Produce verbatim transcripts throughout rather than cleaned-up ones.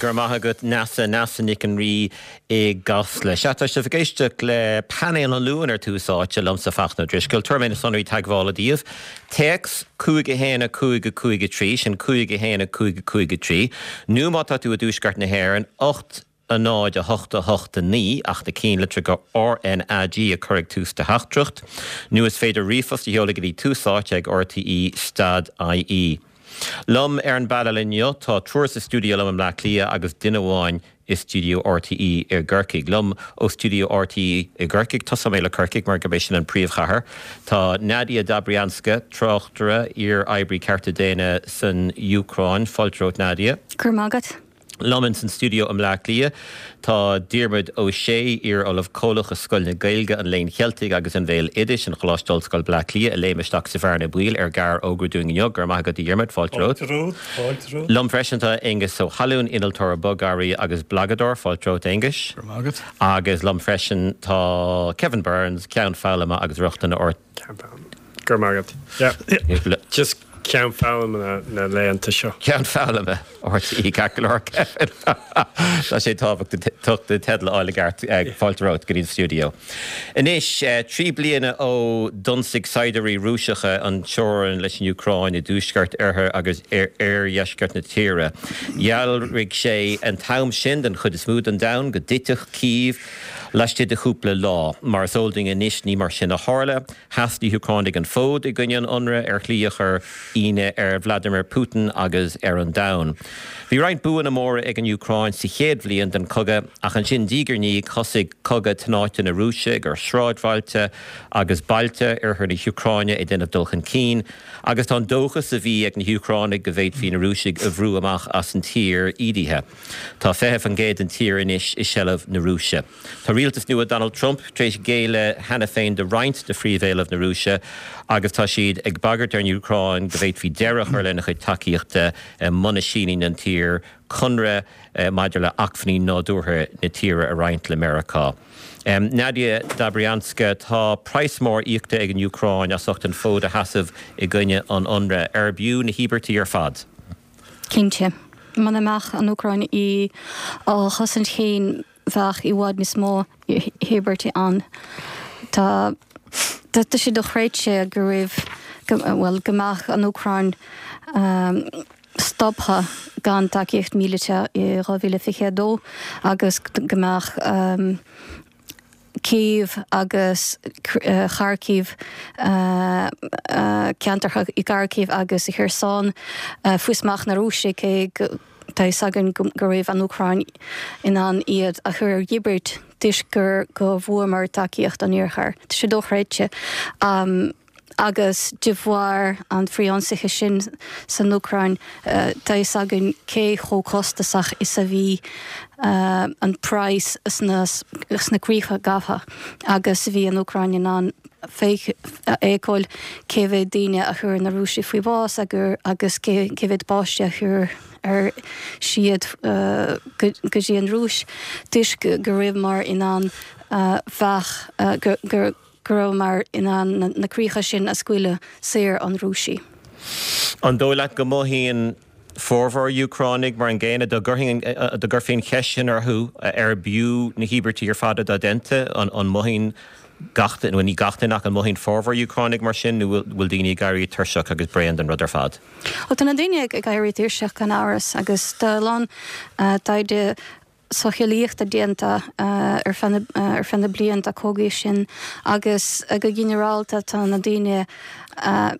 Go raibh maith agat Neasa Neasa Nic an Rí i gCasla. Sea tá sibh ag éisteacht le painéal an Luain ar Tús Áite liomsa Fachtna Ó Drisceoil, tabharfaidh mé na sonraí teagmhála daoibh. Téacs cúig a haon a cúig a cúig a trí, sin cúig a haon a cúig a cúig a trí, nó má tá tú i dtuaisceart na hÉireann, ocht a náid a hocht a hocht a naoi ach na cinnlitreacha RNAG a chur ag tús do theachtaireacht, nó is féidir ríomhphost a sheoladh go dtí tús áite ag RTE stad IE. Liom ar an bpainéal inniu tá triúr sa stiúideo liom i mBleá Cliath agus duine amháin i stiúideo RTÉ i gCorcaigh. Liom ó stiúideo RTÉ i gCorcaigh, tosóidh mé le Corcaigh mar gurb é sin an príomhchathair. Tá Nadia Dobrianska, tráchtaire, iar-oibrí cearta daonna san Úcráin. Fáilte romhat Nadia. Go raibh maith agat. Liom in san stiúideo i mBleá Cliath tá Diarmuid Ó Sé, iar-ollamh comhlach i Scoil na Gaeilge, an Léinn Cheiltigh agus an Bhéaloidis in Choláiste Ollscoile Bleá Cliath a léim isteach sa bhearna baoil ar ghearrfhógra dúinn inniu. Go raibh maith agat a Dhiarmuid, fáilte romhat. Fáilte romhat, fáilte romhat. Liom freisin tá Aengus Ó hAlúin, innealtóir bogearraí agus blagadóir, fáilte romhat Aengus. Go raibh maith agat. Agus liom freisin tá Kevin Burns, Ceann Foghlama agus Rochtana ort. Go raibh maith agat. Yeah. Just ceann foghlama na laethanta seo. Ceann foghlama RTÉ ceart go leor Kevin. Tá sé tábhachtach do teideal a fháil i gceart fáilte romhat go dtí an stiúideo. Anois trí bliana ó d'ionsaigh saighdiúirí Rúiseacha an teorainn leis an Úcráin i dtuaisceart oirthear agus oirdheisceart na tíre. Dhealraigh sé an t-am sin den chuid is mó den domhan go dtitfeadh Cív laistigh de chúpla lá. Mar is eol dúinn anois ní mar sin a tharla, sheas na hÚcránaigh an fód i gcoinne an ionraidh ar shlí a chuir ionadh ar Vladimir Putin agus ar an domhan. Bhí roinnt buanna móra ag an Úcráin sa chéad bhliain den chogadh, ach ansin diaidh ar ndiaidh thosaigh cogadh tnáite na Rúise gur sráidbhailte agus bailte oirthear na hÚcráine ag déanamh dul chun cinn, agus tá an dóchas a bhí ag na hÚcránaigh go bhféadfaí na Rúisigh a bhrú amach as an tír ídithe. Tá fiche faoin gcéad den tír anois i seilbh na Rúise. Tá rialtas nua Donald Trump tar éis géilleadh cheana féin do roinnt de phríomhéilimh na Rúise agus tá siad ag bagairt ar an Úcráin go bhféadfaí deireadh a chur lena chuid tacaíochta muna síníonn an tír conradh maidir le acmhainní nádúrtha na tíre a roinnt le Meiriceá. Nadia Dobrianska tá praghas mór íoctha ag an Úcráin as ucht an fód a sheasamh i gcoinne an ionraidh. Arbh fhiú na híobairtí ar fad. Cinnte. Muna mbeadh an Úcráin í á chosaint féin bheadh i bhfad níos mó íobairtí ann. Tá tá sé dochreidte go raibh well go mbeadh an Úcráin stoptha gan tacaíocht míleata i dhá mhíle fiche a dó agus go mbeadh Cív agus Kharkiv ceantracha i gCharkiv agus i Kherson faoi smacht na Rúise cé go tá fhios againn go raibh an Úcráin in ann iad a chur ar dhíbirt toisc gur go bhfuaireamar tacaíocht an Iarthair. Tá sé dochreidte. Agus de bharr an frithionsaithe sin san Úcráin tá fhios againn cé chomh costasach is a bhí an praghas sna sna críocha gafa agus bhí an Úcráin in ann feiceáil cé mhéad daoine a chuir na Rúisigh faoi bhás agus cé mhéad páiste a chuir ar siad go dtí an Rúis toisc go rabhamar in ann bheadh go go go rabhamar in ann na críocha sin a scaoileadh saor ón Rúisigh. An dóigh leat go mothaíonn formhór Úcránaigh mar an gcéanna dá gcuirfí an cheist sin orthu arbh fhiú na híobairtí ar fad atá déanta, an mothaíonn gach duine, ní gach duine ach an mothaíonn formhór Úcránaigh mar sin nó bhfuil daoine ag éirí tuirseach agus bréan den rud ar fad? Ó tá na daoine ag éirí tuirseach gan amhras agus tá a lán taighde socheolaíochta déanta ar feadh ar feadh na blianta cogaidh sin agus go ginearálta tá na daoine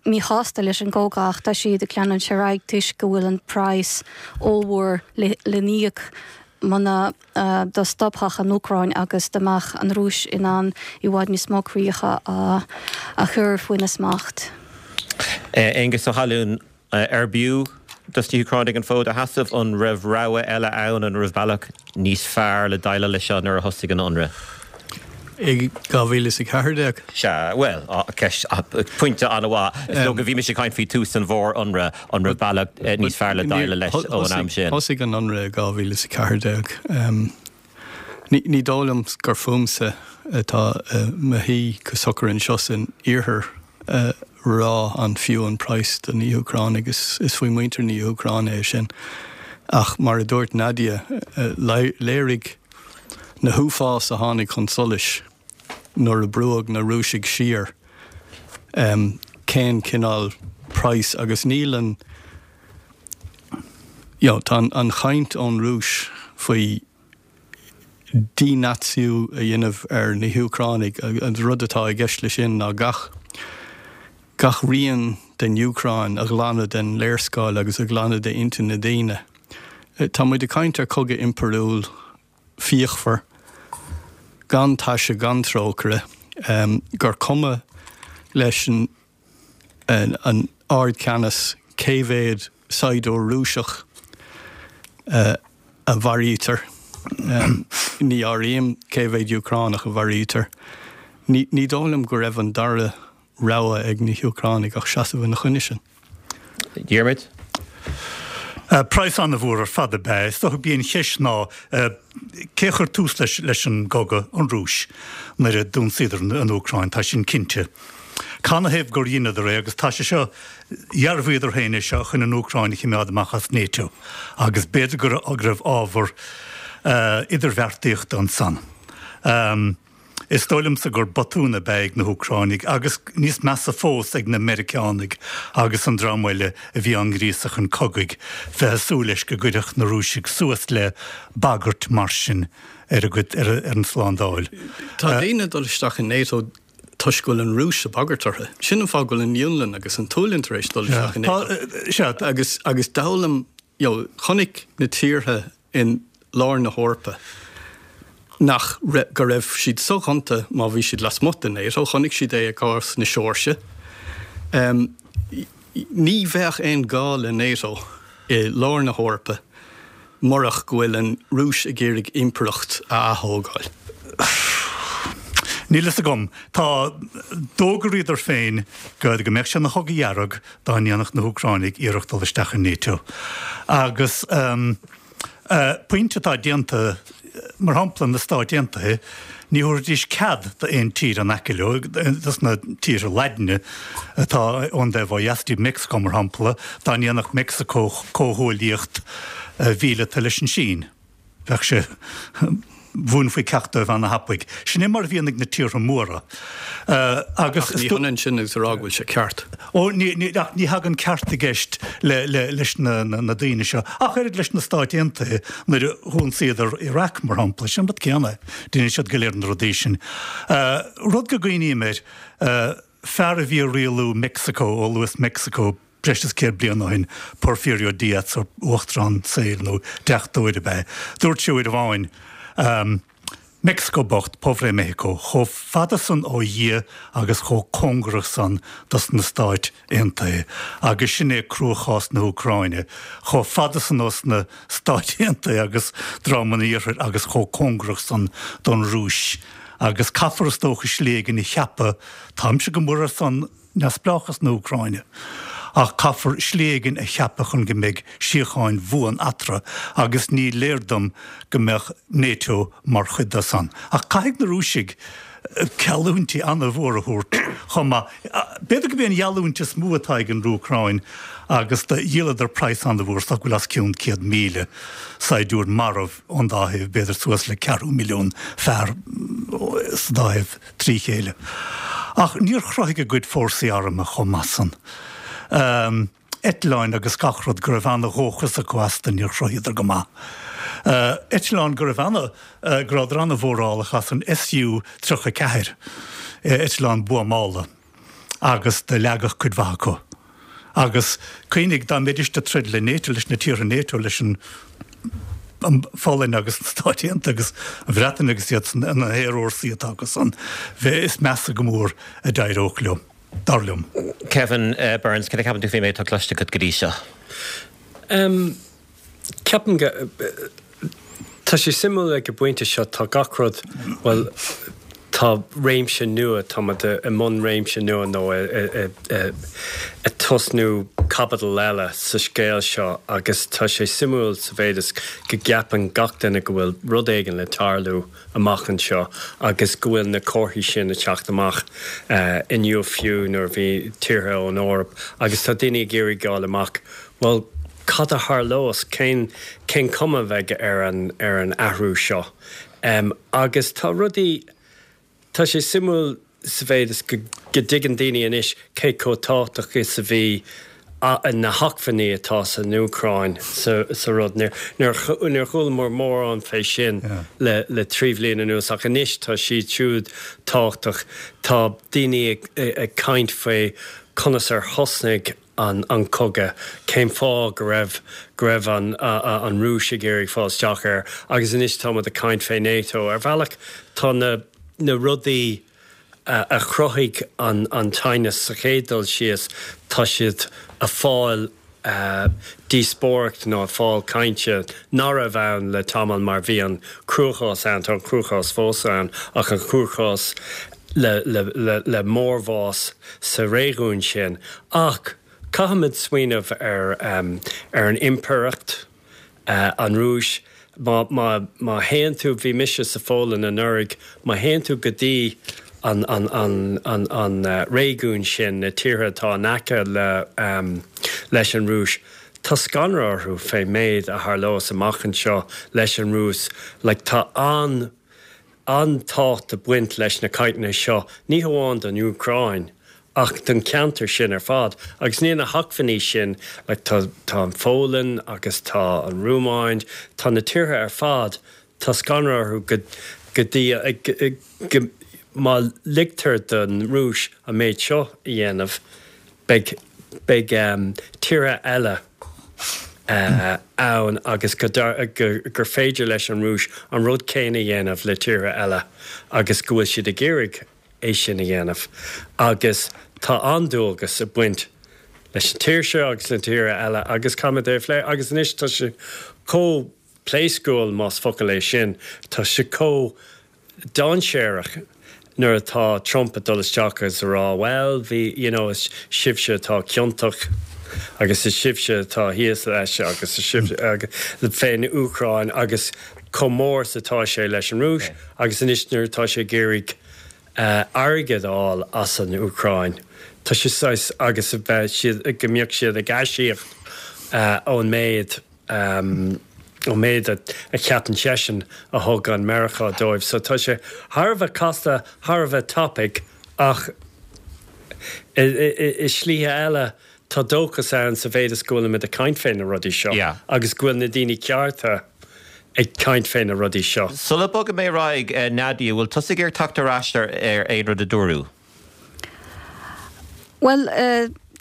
míshásta leis an gcogadh ach tá siad ag leanúint ar aghaidh toisc go bhfuil an praghas ollmhór le n-íoc muna dá stopfadh an Úcráin agus dá mbeadh an Rúis in ann i bhfad níos mó críocha a chur faoina smacht. Aengus Ó hAlúin, arbh fhiú dos na hÚcránaigh an fód a sheasamh? An raibh rogha eile ann? An raibh bealach níos fearr le déileáil leis seo nuair a thosaigh an ionradh? I dhá mhíle is a ceathair déag. Sea, bhuel, ceist, pointe an-mhaith. Is dócha, bhí mise ag caint faoi tús an mhór-ionraidh, an raibh bealach níos fearr le déileáil leis ón am sin? Thosaigh an ionradh i dhá mhíle is a ceathair déag. Ní dóigh liom gur fúmsa atá i mo shuí go socair anseo san iarthar a rá an fiú an praghas do na hÚcránaigh. Is faoi mhuintir na hÚcráine é sin. Ach mar a dúirt Nadia, léirigh na huafáis a tháinig chun solais nuair a brúdh na Rúisigh siar cén cineál praghas agus níl an you know, tá an chaint ón Rúis faoi dí-Naitsíú a dhéanamh ar na hÚcránaigh, an rud atá i gceist leis sin ná gach gach rian den Úcráin a ghlanadh den léarscáil agus a ghlanadh d'intinn na ndaoine. Tá muid ag caint ar chogadh impiriúil fíochmhar, gan taise gan trócaire, gur cuma leis an an ardcheannas cé mhéad saighdiúir Rúiseach a mharaítear. Ní áirím cé mhéad Úcránach a mharaítear. Ní dóigh liom go raibh an dara rogha ag na hÚcránaigh ach seasamh ina choinne sin. Diarmuid? Praghas an-mhór ar fad ab ea é. Is dócha b'í an cheist ná cé a chuir tús leis leis an gcogadh, an Rúis, nuair a d'ionsaíodar an Úcráin, tá sin cinnte. Canathaobh gur dheineadar é agus tá sé seo, dhearbhaíodar féin é seo chun an Úcráin a chimeád amach as NATO agus b'fhéidir go raibh ábhar idirbheartaíochta ansan. Is dóigh liomsa gur botún ab ea ag na hÚcránaigh agus níos measa fós ag na Meiriceánaigh agus an dream eile a bhí á ngríosadh chun cogaidh, bheith ag súil leis go gcuirfeadh na Rúisigh suas le bagairt mar sin ar a gcuid, ar an tslándáil. Tá daoine ag dul isteach in NATO toisc go bhfuil an Rúis ag bagairt orthu. Sin an fáth go bhfuil an Fhionlainn agus an tSualainn tar éis dul isteach in NATO. Sea. Agus, agus d'fhoghlaim, you know, chonaic na tíortha in lár na hEorpa nach go raibh siad soghonta má bhí siad lasmuigh de NATO, chonaic siad é i gcás na Seoirsia. Ní bheadh aon gá le NATO i lár na hEorpa murach go bhfuil an Rúis ag iarraidh impireacht a ath-thógáil. Níl fhios agam. Tá, d'fhógraíodar féin go go mbeadh sé ina chogadh dhearg dá ndéanfadh na hÚcránaigh iarracht dul isteach in NATO. Agus pointe atá déanta, mar shampla, na Stáit Aontaithe, ní thabharfaidís cead d'aon tír in aice leo, dos na tíortha Laidine atá ón dtaobh ó dheas díobh, Meicsiceo mar shampla, dá ndéanfadh Meicsiceo comhghuaillíocht mhíleata leis an Sín. Bheadh sé, mhúinfí ceacht dóibh ana-thapaidh. Sin é mar a bhíonn ag na tíortha móra. Agus. Ach ní hionann sin agus a rá go bhfuil sé ceart. Ó, ní, ní, ach ní thagann ceart i gceist le, le, leis na, na, na daoine seo. Ach oiread leis na Stáit Aontaithe nuair a dh'ionsaíodar Iraq, mar shampla. Sin an rud céanna. Deineann siad go léir na rudaí sin. Rud go gcuimhním air, fear a bhí ag rialú Meicsiceo, ó luas Meicsiceo, breis is céad bliain ó shin, Porfirio Díaz, uachtarán saoil nó deachtóir ab ea é. Dúirt sé uair amháin, Meicsiceo bocht, Pobre México, chomh fada san ó Dhia agus chomh cóngarach san dos na Stáit Aontaithe. Agus sin é cruachás na hÚcráine, chomh fada san ós na Stáit Aontaithe agus dream an Iarthair agus chomh cóngarach san don Rúis. Agus caithfear is dócha slí éigin a cheapadh, táimse go mór ar son neamhspleáchas na hÚcráine. Ach caithfear slí éigin a cheapadh chun go mbeidh síocháin bhuan eatarthu agus ní léir dom go mbeadh NATO mar chuid de san. Ach caithfidh na Rúisigh geallúintí an-mhór a thabhairt chomh maith. B'fhéidir gurb é an gheallúint is mó atá ag an Úcráin agus do dhíoladar praghas an-mhór, is dócha go bhfuil os cionn céad míle saighdiúir marbh ón dá thaobh, b'fhéidir suas le ceathrú milliún fear sa dá thaobh trí chéile. Ach níor chruthaigh a gcuid fórsaí armtha chomh maith san. Eitleáin agus gach rud go raibh ana-dhóchas acu astu, níor chruthaíodar go maith. Eitleán go raibh ana, go rabhadar ana-mhórálach as an S U tríocha a ceathair, eitleán buamála, agus do leagadh cuid mhaith acu. Agus cuimhnigh, dá mbeidís ag troid le NATO, leis na tíortha NATO, leis an Pholainn agus na Stáit Aontaithe agus an Bhreatain agus iad san, na haerfhórsaí atá acu san, bheith, is measa go mór a d'éireodh leo, dar liom. Kevin Burns, cad a cheapann tú faoin méid atá cloiste agat go dtí seo? Ceapaim go, tá sé suimiúil ag an bpointe seo, tá gach rud, bhuel, tá réimse nua, tá muid i mbun réimse nua nó ag tosnú caibidil eile sa scéal seo agus tá sé suimiúil sa mhéid is go gceapann gach duine go bhfuil rud éigin le tarlú amach anseo agus go bhfuil na comharthaí sin ag teacht amach inniu fiú nuair a bhí tíortha ón Eoraip agus tá daoine ag iarraidh fháil amach, bhuel, cad a tharlós, cén cén cuma a bheidh ar an ar an athrú seo. Um, agus tá rudaí tá sé suimiúil sa mhéid is go dtuigeann daoine anois cé chomh tábhachtach is a bhí na hacmhainní atá san Úcráin sa rud. Níor chualamar mórán fé sin le le trí bhliain anuas ach anois tá siad siúd tábhachtach. Tá daoine ag caint faoi conas ar thosnaigh an an cogadh, cén fáth go raibh go raibh an an Rúis ag iarraidh fáil isteach air agus anois táimid ag caint fé NATO. Ar bhealach tá na na rudaí a chruthaigh an an teannas sa chéad dul síos, tá siad ag fáil díospóireacht nó ag fáil cainte nach raibh ann le tamall mar bhí an cruachás ann, tá an cruachás fós ann ach an cruachás le le le le mórbhás sa réigiún sin. Ach caithfimid smaoineamh ar ar an impireacht, an Rúis, má má má théann tú, bhí mise sa Pholainn anuraidh, má théann tú go dtí an an an an an réigiún sin, na tíortha atá in aice le leis an Rúis, tá scanradh orthu fén méid a tharlós amach anseo leis an Rúis. Like tá an an-tábhacht ag baint leis na cainteanna seo, ní hamháin don Úcráin ach don cheantar sin ar fad. Agus níl na hacmhainní sin, like tá tá an Pholainn agus tá an Rúmáin, tá na tíortha ar fad, tá scanradh orthu go go dtí go má ligtear don Rúis an méid seo a dhéanamh, beidh beidh tíortha eile ann agus go gur féidir leis an Rúis an rud céanna a dhéanamh le tíortha eile agus go bhfuil siad ag iarraidh é sin a dhéanamh. Agus tá an-dualgas ag baint leis an tír seo agus le tíortha eile agus caithfimid é a phlé agus anois tá sé chomh pléascúil, más focal é sin, tá sé chomh dainséarach nuair atá Trump ag dul isteach agus a rá bhuel bhí you know is sibhse atá ciontach agus is sibhse atá thíos leis agus is sibhse fén Úcráin agus chomh mór is atá sé leis an Rúis agus anois nuair atá sé ag iarraidh airgead a fháil as an Úcráin tá sé saghas agus a bheith siad go mbeadh siad ag aisíoc ón méid ón méid a cheapann seisean a thug an Meiriceá dóibh. So tá sé thar a bheith casta, thar a bheith tapaidh ach i slíthe eile tá dóchas ann sa mhéid is go bhfuilimid ag caint fé na rudaí seo agus go bhfuil na daoine cearta ag caint fé na rudaí seo. Sula bogfaidh mé ar aghaidh, Nadia, bhfuil tusa ag iarraidh teacht ar ais ar aon rud a dúradh? Bhuel,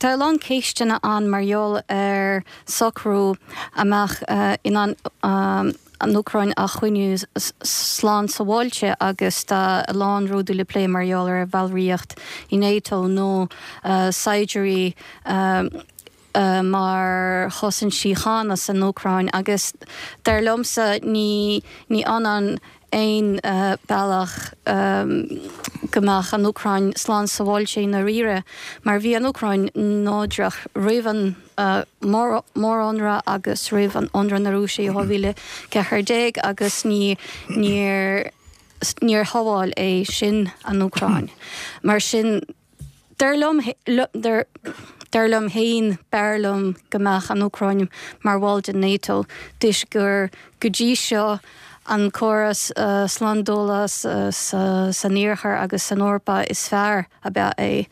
tá a lán ceisteanna ann mar gheall ar socrú a mbeadh in ann an Úcráin a choinniú slán sábháilte agus tá a lán rudaí le plé mar gheall ar bhallraíocht i NATO nó saighdiúirí mar chosaint síochána san Úcráin agus dar liomsa ní ní ionann aon bealach go mbeadh an Úcráin slán sábháilte i ndáiríre mar bhí an Úcráin neodrach roimh an mórionradh agus roimh an ionradh na Rúise i dhá mhíle ceathair déag agus ní níor níor shábháil é sin an Úcráin. Mar sin Dar liom, dar liom féin, b'fhearr liom go mbeadh an Úcráin mar bhall de NATO toisc gur go dtí seo an córas slándála san Iarthar agus san Eorpa is fearr ab ea é.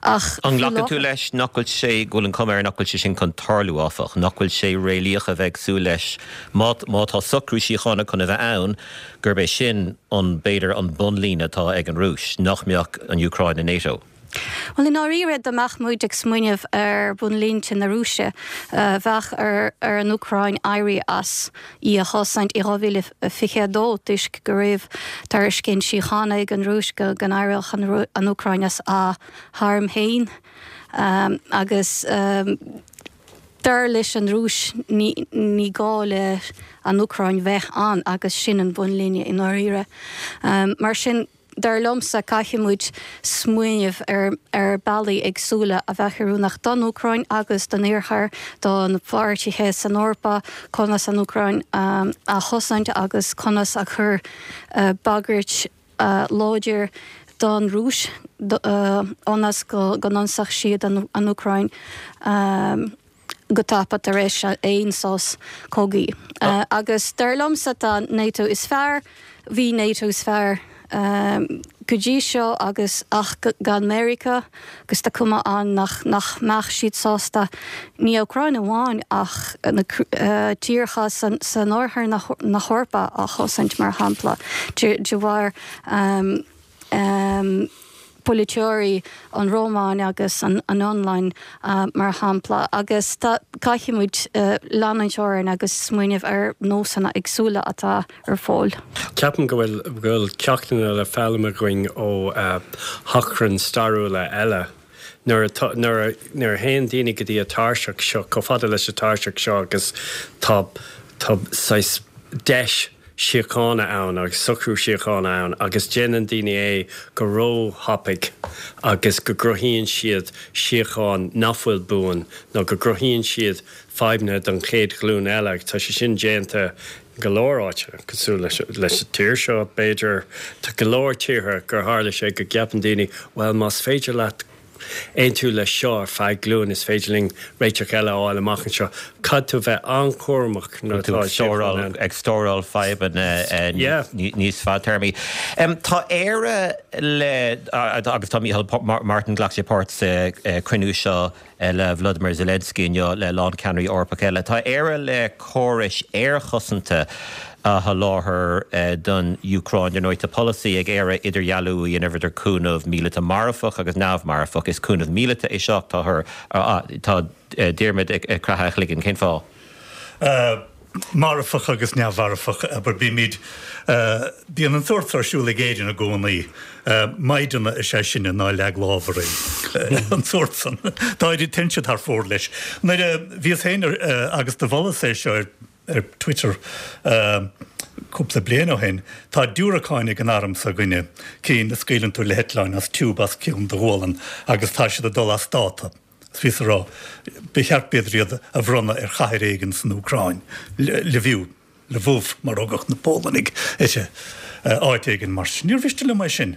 Ach An nglacann tú leis nach bhfuil sé, go bhfuil an chuma air nach bhfuil sé sin chun tarlú, áfach, nach bhfuil sé réalaíoch a bheith ag súil leis, má má tá socrú síochána chun a bheith ann, gurb é sin an, b'fhéidir, an bunlíne atá ag an Rúis, nach mbeadh an Úcráin i NATO? Bhuel, i ndáiríre, dá mbeadh muid ag smaoineamh ar bhunlínte na Rúise, bheadh ar an Úcráin éirí as í a chosaint i dhá mhíle fiche a dó toisc go raibh tairiscint síochána ag an Rúis go n-éireodh an Úcráin as a hairm féin agus dar leis an Rúis ní gá le an Úcráin bheith ann agus sin an bunlíne i ndáiríre. Mar sin. Dar liomsa, caithfidh muid smaoineamh ar ar bealaí éagsúla a bheadh oiriúnach don Úcráin agus don Iarthar, do na páirtithe san Eorpa, conas an Úcráin a chosaint agus conas a chur bagairt láidir don Rúis ionas go n-ionsódh siad an Úcráin. go tapa tar éis aon sos cogaidh. Agus dar liomsa tá NATO is fearr, bhí NATO is fearr go dtí seo agus ach gan Meiriceá agus tá cuma ann nach nach mbeadh siad sásta ní Úcráin amháin ach na tíortha san san oirthear na na hEorpa a chosaint mar shampla de de bharr um, um, polaiteoirí an Rómáin agus an an Fhionlainn mar shampla agus tá caithfidh muid leanúint orainn agus smaoineamh ar nósanna éagsúla atá ar fáil. Ceapaim go bhfuil go bhfuil ceachtanna le foghlaim againn ó achrainn stairiúla eile. Nuair a nuair a nuair a théann daoine go dtí an tairseach seo, chomh fada leis an tairseach seo agus tá tá saghas deis síochána ann agus socrú síochána ann agus déanann daoine é go róthapaidh agus go gcruthaíonn siad síocháin nach bhfuil buan nó go gcruthaíonn siad fadhbanna don chéad ghlúin eile. Tá sé sin déanta go leor áiteanna, cosúil leis leis an tír seo b'fhéidir. Tá go leor tíortha gur tharla sé go gceapann daoine, bhuel más féidir leat aontú leis seo ar feadh glúin, is féidir linn réiteach eile a fháil amach anseo. Caithfidh tú bheith an-chúramach nuair atá síocháin ann. Ag stóráil fadhbanna níos fadtéarmaí. Tá Éire le, agus tá Micheál Martin, ghlac sé páirt sa chruinniú seo le Volodymyr Zelensky inniu le lán ceannairí Eorpacha eile. Tá Éire le córais aerchosanta a sholáthar don Úcráin. Ar ndóigh, tá polasaí ag Éire idirdhealú a dhéanamh idir cúnamh míleata marfach agus neamh-mharfach. Is cúnamh míleata é seo. Tá tá Diarmuid ag croitheadh a chloigeann. Cén fáth? Marfach agus neamh-mharfach, abair, bímid, bíonn an sórt ar siúl ag Éirinn i gcónaí. Maighdeana is ea sinne, ná leag lámh orainn. An sórt san. D'éirigh téann siad thar fóir leis. Nuair a bhíos féin agus do mholas é seo ar ar Twitter cúpla bliain ó shin, tá diúracáin ag an arm s'againne, cinn a scaoileann tú le heitleáin as tiúb os cionn do ghualann agus tá siad ag dul as dáta. Is bhíos ag rá, ba cheart b'fhéidir iad a bhronnadh ar chathair éigin san Úcráin, Lviv, Lwów mar a thugadh na Pólannaigh uirthi, áit éigin mar sin. Níor mhiste liom é sin.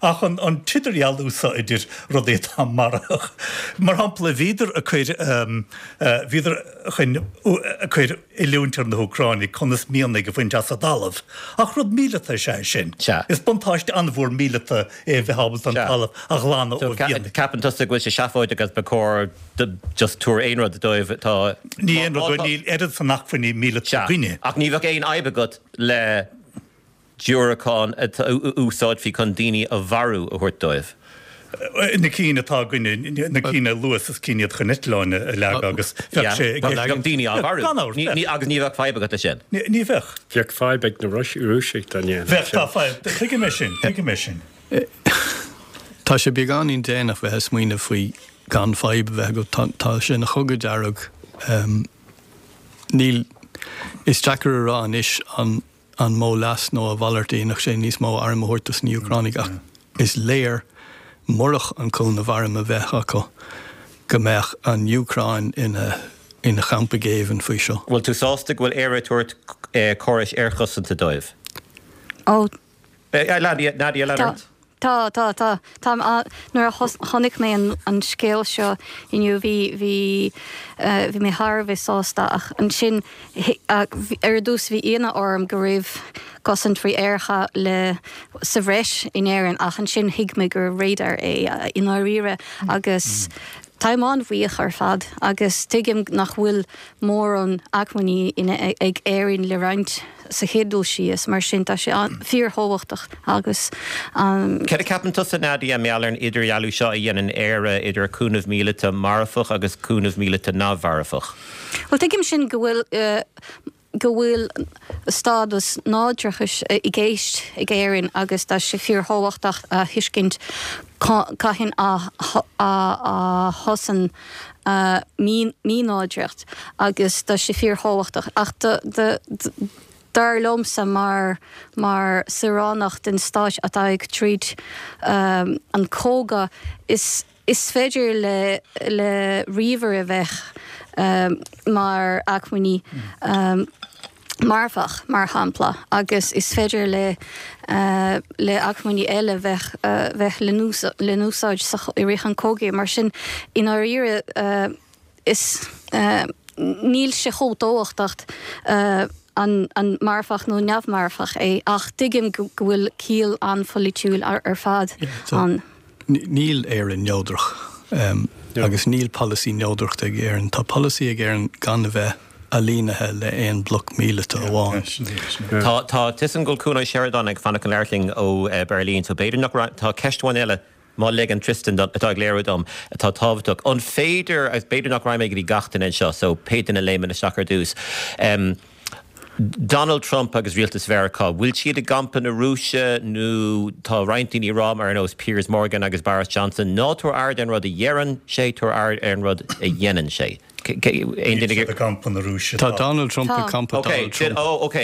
Ach an an t-idirdhealú so idir rudaí atá marfach, mar shampla, bhíodar ag cur, bhíodar chun, ag cur oiliúint ar na hÚcránaigh conas mianaigh a bhaint as an dtalamh. Ach rud míleata is ea é sin. Sea. Is buntáiste an-mhór míleata é a bheith ábalta an Sea. talamh a ghlanadh So ó mhianaigh. ceapann tusa go bhfuil sé seafóideach agus ba chóir just tabhair aon rud dóibh atá. Ní aon rud, níl oiread san acmhainní míleata Sea. againne. Ach ní bheadh aon fhadhb agat le diúracáin a úsáidfí chun daoine a mharú a thabhairt dóibh. Na cinn atá againne, na cinn a luas is cinn iad chun eitleáin a leagadh agus bheadh sé i gceist. Bheadh daoine á mharú. Gan amhras, bheadh. Agus ní bheadh fadhb agat leis sin. Ní bheadh. Bheadh fadhb ag na Rúisigh dá ndéanfadh Bheadh, sin. tá fadhb. Tuigim é sin, tuigim é sin. Tá sé beagáinín déanach bheith ag smaoineamh faoi gan fadhb a bheith agat. Tá sé ina chogadh dearg. Níl, is deacair a rá anois an an mó leas nó a mhalairt a dhéanfadh sé níos mó arm a thabhairt dos na Úcránaigh ach is léir, murach an cúnamh arm a bheith acu, go mbeadh an Úcráin ina ina champa géibhinn faoi seo. Bhfuil tú sásta go bhfuil Éire ag tabhairt córais aerchosanta dóibh? Ó, Nadia, Nadia, tá. lean ort. Tá, tá, tá. Tá, nuair a chonaic mé an scéal seo inniu bhí, bhí, bhí mé thar a bheith sásta ach ansin ar dtús bhí ionadh orm go raibh cosaint frith-aerach le sa bhreis in Éirinn ach ansin thuig mé gur radar é i ndáiríre agus táim an-bhuíoch ar fad agus tuigim nach bhfuil mórán acmhainní ag Éirinn le roinnt sa chéad dul síos, mar sin tá sé fíorthábhachtach agus. Céard a cheapann tusa, Nadia, mar gheall ar an idirdhealú seo a dhéanann Éire idir cúnamh míleata marfach agus cúnamh míleata neamh-mharfach? Bhuel, tuigim sin go bhfuil go bhfuil stádas náisiúnachais i gceist ag Éirinn agus tá sé fíorthábhachtach a thuiscint cathain a thosaíonn mínáidreacht agus tá sé fíorthábhachtach ach dar liomsa mar mar saoránach den stáit atá ag troid an cogadh is Is féidir le le ríomhaire a bheith mar acmhainní marfach, mar shampla, agus is féidir le le acmhainní eile bheith bheith le n-úsáid sa i rith an chogaidh. Mar sin, i ndáiríre, is níl sé chomh tábhachtach an an marfach nó neamh-mharfach é ach tuigim go bhfuil ciall an-pholaitiúil ar ar fad ann. Níl Éire neodrach agus níl polasaí neodrachta ag Éirinn. Tá polasaí ag Éirinn gan a bheith ailínithe le aon bloc míleata amháin. Tá tá tusan go Cuan Ó Seireadáin ag fanacht chun labhairt linn ó Berlin, so b'fhéidir nach tá ceist amháin eile má ligeann Tristan atá ag léiriú dom atá tábhachtach. An féidir agus b'fhéidir nach raghaidh mé go dtí gach duine anseo, so pé duine a léimeann isteach ar dtús. Um, Donald Trump agus rialtas Mheiriceá, bhfuil siad i gcampa na Rúise nó tá roinnt daoine ag rá mar ar nós Piers Morgan agus Boris Johnson, ná tabhair aird ar an rud a dheireann sé, tabhair aird ar an rud a dhéanann sé. Aon duine ag campa na Rúise. Tá Donald Trump i gcampa Donald Trump. Oh, ok.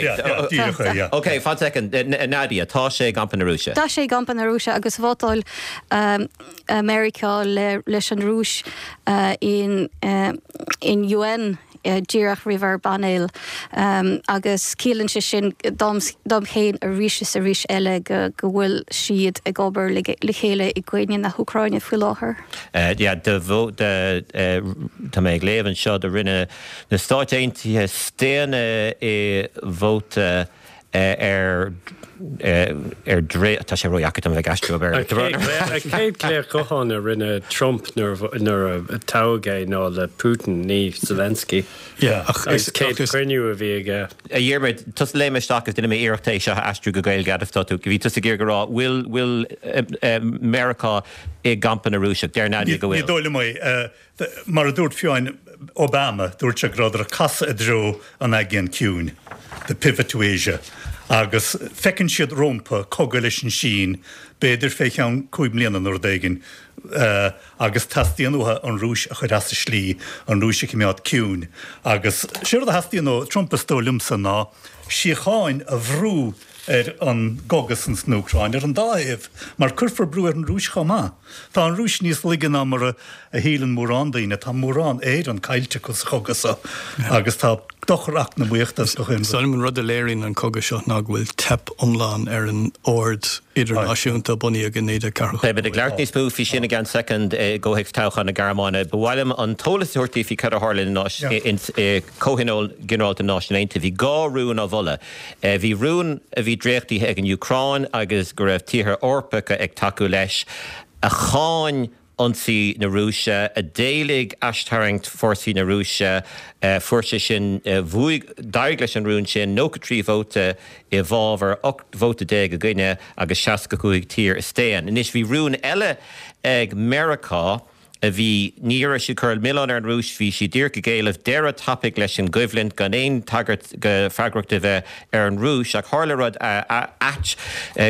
Ok, fan second. Nadia, tá sé i gcampa na Rúise. Tá sé i gcampa na Rúise agus vótáil Meiriceá leis an Rúis in in UN díreach roimh ár bpainéal agus ciallaíonn sé sin dom féin arís is arís eile go go bhfuil siad ag obair le chéile i gcoinne na hÚcráine faoi láthair. Yeah, de de tá mé ag léamh anseo do rinne na Stáit Aontaithe staonadh i vóta ar ar dre tá sé ródheacair dom bheith ag aistriú An chéad ghlaoch gutháin a rinne Trump nuair a toghadh é ná le Putin, ní Zelensky. Agus céad cruinniú a bhí aige. A Dhiarmaid, tusa léim isteach agus déanfaidh mé iarracht é seo a aistriú go Gaeilge fhad is atá tú. Bhí tusa ag iarraidh a rá, bhfuil bhfuil Meiriceá i gcampa na Rúiseach? Deir Nadia go bhfuil. Ní dóigh liom é. Mar a dúirt fiú amháin Obama, dúirt sé go rabhadar ag casadh i dtreo an Aigéin Ciúin, the pivot to Asia, agus feiceann siad rompu cogadh leis an Sín, b'fhéidir fé cheann cúig mbliana nó rud éigin, agus teastaíonn uathu an Rúis a chur as a slí, an Rúis a choimeád ciúin. Agus sé rud a theastaíonn ó Trump is dóigh liomsa ná síocháin a bhrú ar an gcogadh san san Úcráin, ar an dá thaobh, mar cuirfear brú ar an Rúis chomh maith. Tá an Rúis níos laige ná mar a shíleann mórán daoine. Tá mórán Éireann caillte acu sa chogadh seo agus tá dochar eacnamaíochta is gach aon rud. Is dóigh liom an rud a léiríonn an cogadh seo ná go bhfuil teip iomlán ar an ord idirnáisiúnta a bunaíodh i naoi déag ceathracha Beimid ag labhairt níos mó faoi sin i gceann soicind i gcomhthéacs toghchán na Gearmáine. Ba mhaith liom an t-eolas a thabhairt daoibh faoi cad a tharla i Comhthionól Ginearálta na Náisiún Aontaithe. Bhí dhá rún á mholadh. Bhí rún a bhí dréachtaithe ag an Úcráin agus go raibh tíortha Eorpacha ag tacú leis, a cháin ionsaí na Rúise, a d'éiligh aistarraingt fórsaí na Rúise. Fuair sé sin, bhuaigh, d'éirigh leis an rún sin, nócha trí vóta i bhfabhar, ocht vóta déag i gcoinne agus seasca cúig tír a staon. Anois bhí rún eile ag Meiriceá, a bhí, ní raibh siad ag cur milleán ar an Rúis, bhí siad díreach ag éileamh deireadh tapaidh leis an gcoimhlint gan aon tagairt go freagracht a bheith ar an Rúis. Ach tharla rud ait,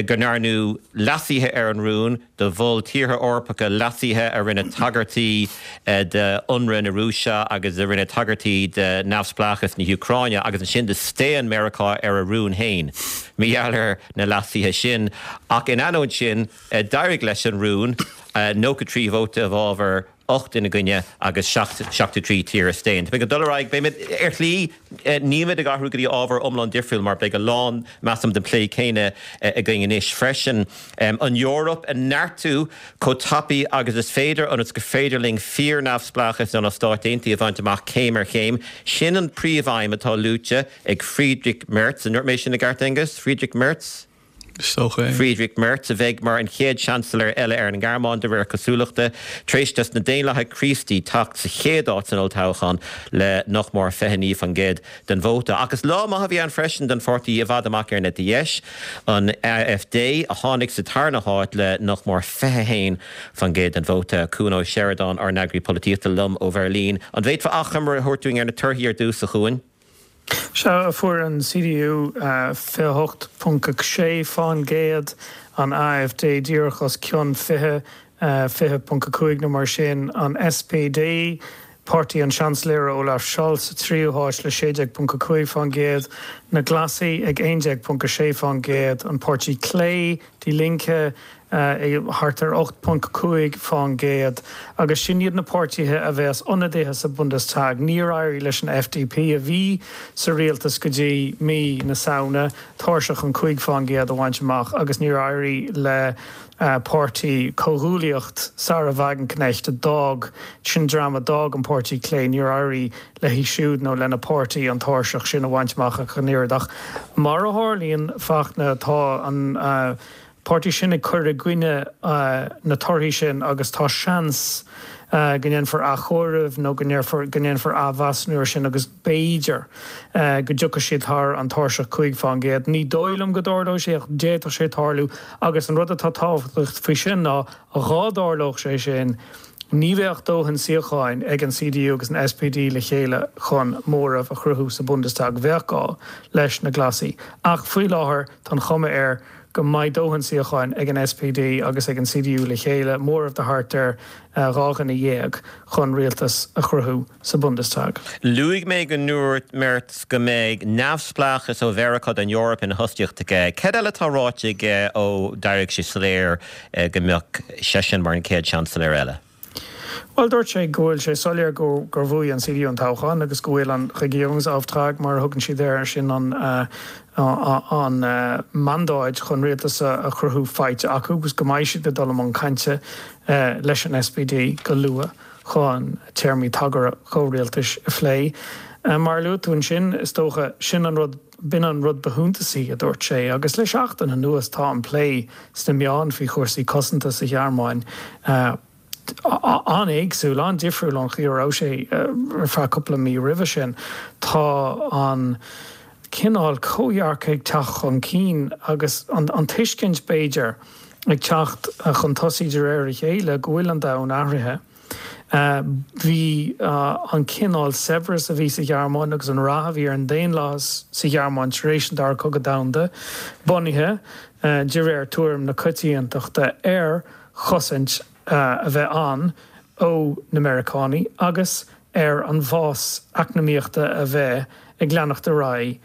go ndearnadh leasuithe ar an rún, do mhol tíortha Eorpacha leasuithe a rinne tagairtí d'ionradh na Rúise agus a rinne tagairtí de neamhspleáchas na hÚcráine agus ansin do staon Meiriceá ar a rún féin mar gheall ar na leasuithe sin. Ach in ainneoin sin, d'éirigh leis an rún. nócha trí vóta i bhfabhar, ocht ina gcoinne agus seachtó trí tír a staon. Tá mé ag dul ar aghaidh, beimid, ar shlí, nílimid ag athrú go dtí ábhar iomlán difriúil mar beidh a lán, measaim, den plé céanna againn anois freisin. An Eoraip a neartú chomh tapaidh agus is féidir ionas gur féidir linn fíor-neamhspleáchas ó na Stáit Aontaithe a bhaint amach céim ar chéim. Sin an príomhaidhm atá luaite ag Friedrich Merz. An ndúirt mé sin i gceart, Aengus? Friedrich Merz? Is dócha é. Friedrich Merz, a bheidh mar an chéad Seansailéir eile ar an nGearmáin, de réir cosúlachta, tar éis dos na Daonlathaithe Críostaí teacht sa chéad áit san olltoghchán le nach mór fiche naoi faoin gcéad den vóta. Ach is lá maith a bhí ann freisin don pháirtí i bhfad amach ar an eite dheis, an AfD, a tháinig sa tarna háit le nach mór fiche haon faoin gcéad den vóta. Cuan Ó Seireadáin, ár n-eagraí polaitíochta, liom ó Bheirlín. An bhféadfá achoimre a thabhairt dúinn ar na torthaí ar dtús, a Chuain? Sea, fuair an CDU fiche a hocht ponc a sé fán gcéad, an AfD díreach os cionn fiche, fiche ponc a cúig nó mar sin, an SPD, páirtí an Seansailéara Olaf Scholz, sa tríú háit le sé déag ponc a cúig fán gcéad, na Glasaigh ag aon déag ponc a sé fán gcéad, an páirtí Clé, Die Linke, thart ar ocht ponc cúig fán gcéad, agus sin iad na páirtithe a bheas ionadaithe sa Bundestag. Níor éirigh leis an FDP, a bhí sa rialtas go dtí mí na Samhna, tairseach an cúig fán gcéad a bhaint amach agus níor éirigh le páirtí Comhghuaillíocht Sahra Wagenknecht a d'fhág, sin dream a d'fhág an Páirtí Clé, níor éirigh léi siúd nó lena páirtí an tairseach sin a bhaint amach ach an oiread. Ach mar a tharlaíonn, Fachtna, tá an páirtí sin ag cur i gcoinne na torthaí sin agus tá seans go ndéanfar athchomhaireamh nó go ndéanfar go ndéanfar athmheasúnú air sin agus b'fhéidir go dtiocfaidh siad thar an tairseach cúig fán gcéad. Ní dóigh liom go dtarlóidh sé ach d'fhéadfadh sé tarlú agus an rud atá tábhachtach faoi sin ná dhá dtarlódh sé sin ní bheadh dóthain suíocháin ag an C D U agus an S P D le chéile chun móramh a chruthú sa Bundestag. Bheadh gá leis na Glasaigh. Ach faoi láthair tá an chuma air go mbeidh dóthain suíocháin ag an S P D agus ag an C D U le chéile, móramh de thart ar dhá dhuine dhéag, chun rialtas a chruthú sa Bundestag. Luaigh mé go ndúirt Merz go mbeidh neamhspleáchas ó Mheiriceá don Eoraip ina thosaíocht aige. Cad eile atá ráite aige ó d'éirigh sé soiléir go mbeadh seisean mar an chéad seansailéir eile? Well, dúirt sé go bhfuil sé soiléir gur gur bhuaigh an C D U an toghchán agus go bhfuil an Regierungsauftrag, mar a thugann siad air sin, an an mandáid chun rialtas a chruthú faighte acu agus go mbeidh siad ag dul i mbun cainte leis an S P D go luath chun téarmaí tagartha comhrialtais a phlé. Mar a luaigh tú ansin, is dócha, sin an rud, b'in an rud ba shuntasaí a dúirt sé, agus le seachtain anuas tá an plé sna meáin faoi chúrsaí cosanta sa Ghearmáin an-éagsúil, an-difriúil ón chaoi a raibh sé ar feadh cúpla mí roimhe sin. Tá an cineál comhdhearcadh ag teacht chun cinn agus an tuiscint, b'fhéidir, ag teacht chun tosaigh de réir a chéile go bhfuil an domhan athraithe. Bhí an cineál saibhreas a bhí sa Ghearmáin agus an rath a bhí ar an daonlathas sa Ghearmáin tar éis an Dara Cogadh Domhanda bunaithe, de réir tuairim na coitiantachta, ar chosaint a bheith ann ó na Meiriceánaigh agus ar an bhfás eacnamaíochta a bheith ag leanacht ar aghaidh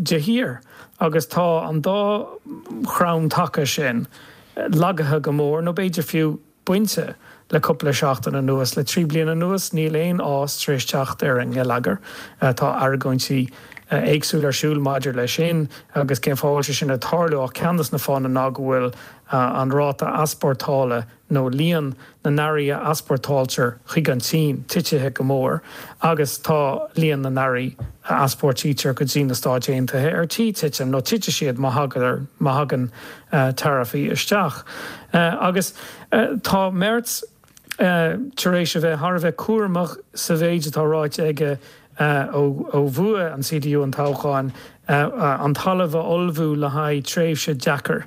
de shíor. Agus tá an dá chrann taca sin lagaithe go mór, nó b'fhéidir fiú bainte, le cúpla seachtain anuas. Le trí bliana anuas níl aon fhás tar éis teacht ar an ngeilleagar. Tá argóintí éagsúla ar siúl maidir leis sin agus cén fáth a bhfuil sé sin ag tarlú, ach ceann de na fáthanna ná go bhfuil an ráta easpórtála nó líon na n-earraí a easpórtáiltear chuig an tSín titithe go mór agus tá líon na n-earraí a easpórtaítear go dtí na Stáit Aontaithe ar tí titim nó titfidh siad má má thagann taraifí isteach. Agus tá Merz tar éis a bheith thar a bheith cúramach sa mhéid atá ráite aige ó bhuaigh an C D U an toghchán, an talamh a ullmhú le haghaidh tréimhse deacair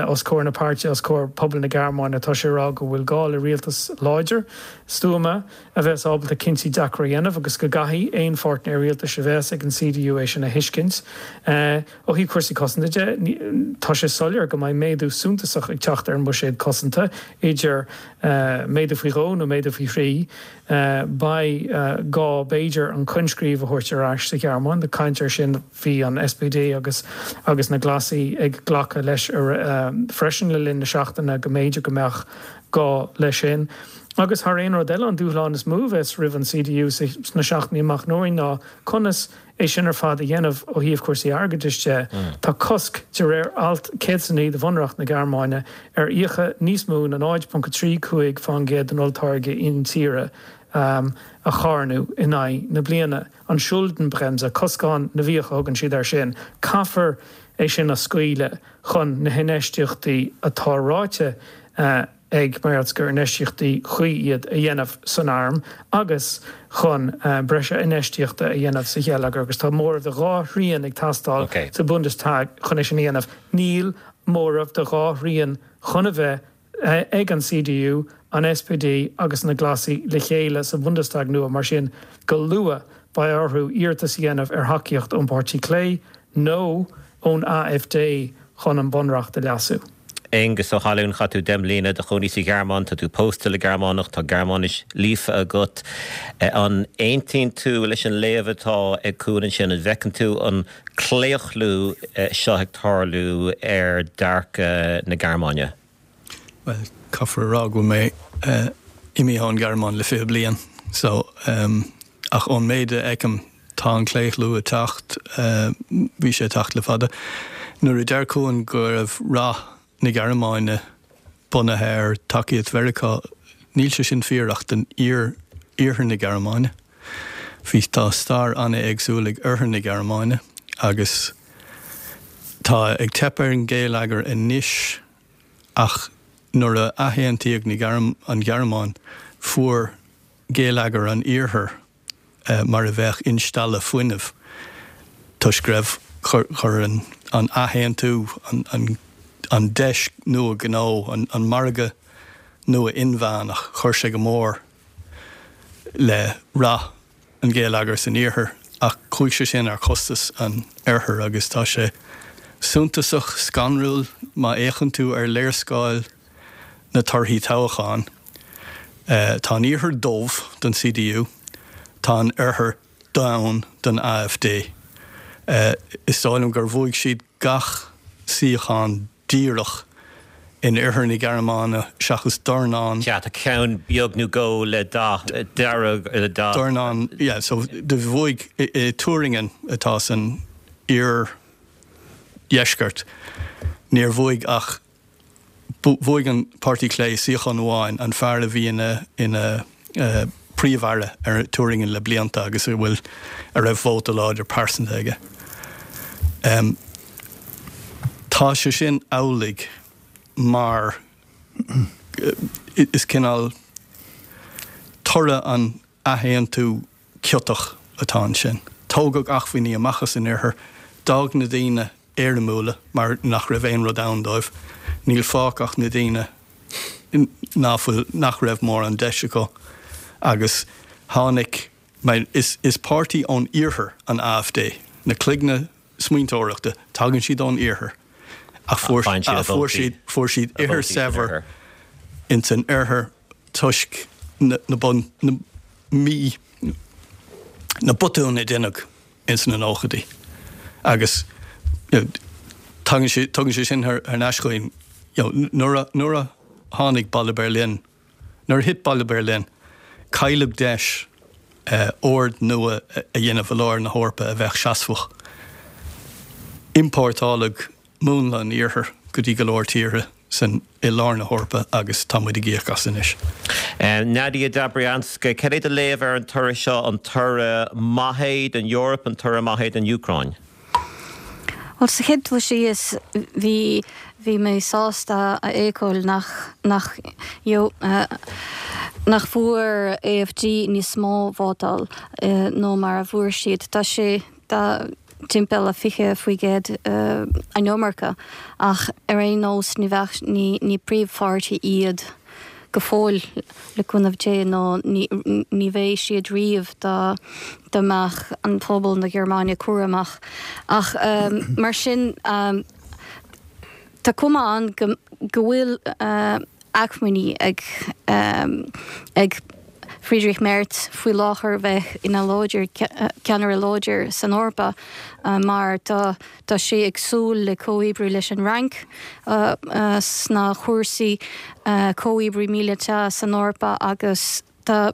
os comhair na páirtí, os comhair pobal na Gearmáine. Tá sé ag rá go bhfuil gá le rialtas láidir, stuama a bheas ábalta cinntí deacra a dhéanamh agus go gcaithfidh aon pháirtnéir rialtais a bheas ag an C D U é sin a thuiscint. Ó thaobh cúrsaí cosanta de, tá sé soiléir go mbeidh méadú suntasach ag teacht ar an mbuiséad cosanta, idir méadú faoi dhó nó méadú faoi thrí. Beidh gá, b'fhéidir, an coinscríobh a thabhairt ar ais sa Ghearmáin. Tá caint air sin, bhí an S P D agus agus na Glasaigh ag glacadh leis freisin le linn na seachtaine go mb'fhéidir go mbeadh gá leis sin. Agus thar aon rud eile, an dúshlán is mó a bheas roimh an C D U sna seachtainí amach romhainn ná conas é sin ar fad a dhéanamh ó thaobh cúrsaí airgeadais de. Tá cosc, de réir alt céad is a naoi de Bhunreacht na Gearmáine, ar fhiacha níos mó ná náid ponc a trí cúig fán gcéad den olltáirge intíre a charnadh in aghaidh na bliana. An Schuldenbremse, coscán na bhfiach a thugann siad air sin. Caithfear é sin a scaoileadh chun na hinfheistíochtaí atá ráite ag Merz gur infheistíochtaí cuí iad a dhéanamh san arm agus chun breis infheistíochta a dhéanamh sa gheilleagar, agus tá móramh de dhá thrian ag teastáil sa Bundestag chun é sin a dhéanamh. Níl móramh de dhá thrian chun a bheith ag an C D U, an S P D agus na Glasaigh le chéile sa Bundestag nua, mar sin go luath beidh orthu iarratas a dhéanamh ar thacaíocht ón bPáirtí Clé nó ón A F D chun an bunreacht a leasú. Aengus Ó hAlmhain, chaith tú deich mbliana i do chónaí sa Ghearmáin, tá tú pósta le Gearmánach, tá Gearmáinis líofa agat. An aontaíonn tú leis an léamh atá ag Cuan ansin? An bhfeiceann tú an claochlú seo ag tarlú ar dearcadh na Gearmáine? Well, caithfear a rá go bhfuil mé imithe ón Ghearmáin le fiche bliain, so ach ón méid a fheicim tá an claochlú ag teacht, bhí sé ag teacht le fada. Nuair a deir Cuan go raibh rath na Gearmáine bunaithe ar tacaíocht Mheiriceá, níl sé sin fíor ach don iarthar na Gearmáine. Bhí tá stair an-éagsúil ag oirthear na Gearmáine agus tá ag teip ar an gheilleagar anois ach nuair a athaontaíodh an Ghearmáin fuair geilleagar an iarthair mar a bheadh instealladh fuinnimh toisc go raibh chuir an athaontú an deis nua gnó, an margadh nua inmheánach, chuir sé go mór le rath an gheilleagair san iarthar ach chuaigh sé sin ar chostas an oirthir agus tá sé suntasach scanrúil má fhéachann tú ar léarscáil na torthaí toghcháin. Tá an iarthar dubh don CDU, tá an oirthear donn don AfD. Is dóigh liom gur bhuaigh siad gach suíochán díreach in oirthear na Gearmáine seachas dornán. Sea, tá ceann beag nó dhó le dath dearg, le dath. Dornán, yeah, so do bhuaigh i Thüringen atá san iardheisceart, níor bhuaigh ach Bhuaigh an Páirtí Clé suíochán amháin, an fear a bhí ina ina Príomh-Aire ar Thüringen le blianta agus a bhfuil a raibh vóta láidir pearsanta aige. Tá sé sin amhlaidh mar is cineál toradh an athaontú ciotach atá ansin. Tógadh acmhainní amach as an oirthear, d'fhág na daoine éirimiúla mar nach raibh aon rud ann dóibh. Níl fágtha ach na daoine ná fuil, nach raibh mórán deis acu agus tháinig, is, is páirtí ón iarthar an AfD, na cloigne smaointeoireachta, tagann siad ón iarthar ach fuair, fuair siad, fuair siad ithir saibhir ins an oirthear toisc na, na bun, na mí, na botúin a deineadh ins na nóchaidí agus tagann sé, tugann sé sin thar n-ais chugainn, you know, nuair a, nuair a tháinig Balla Berlin, nuair a thit Balla Berlin, cailleadh deis ord nua a dhéanamh i lár na hEorpa a bheadh seasmhach. Iompórtáladh múnla an Iarthair go dtí go leor tíortha san i lár na hEorpa agus tá muid ag íoc as anois. Nadia Dobrianska, cad é do léamh ar an toradh seo, an toradh maith é don Eoraip, an toradh maith é don Úcráin? Bhuel, sa chéad dul síos, bhí bhí mé sásta a fheiceáil nach nach nach bhfuair AfD níos mó vótáil ná mar a bhfuair siad. Tá sé tá timpeall a fiche faoi gcéad an iomarca, ach ar aon nós ní bheadh, ní, ní príomhpháirtí iad go fóill le cúnamh Dé nó ní, ní bheidh siad riamh dá, dá mbeadh an pobal na Gearmáine cúramach. Ach mar sin tá cuma ann go, go bhfuil acmhainní ag, ag Friedrich Merz faoi láthair bheith ina láidir, ceannaire láidir san Eorpa mar tá tá sé ag súil le comhoibriú leis an Fhrainc sna cúrsaí comhoibriú míleata san Eorpa agus tá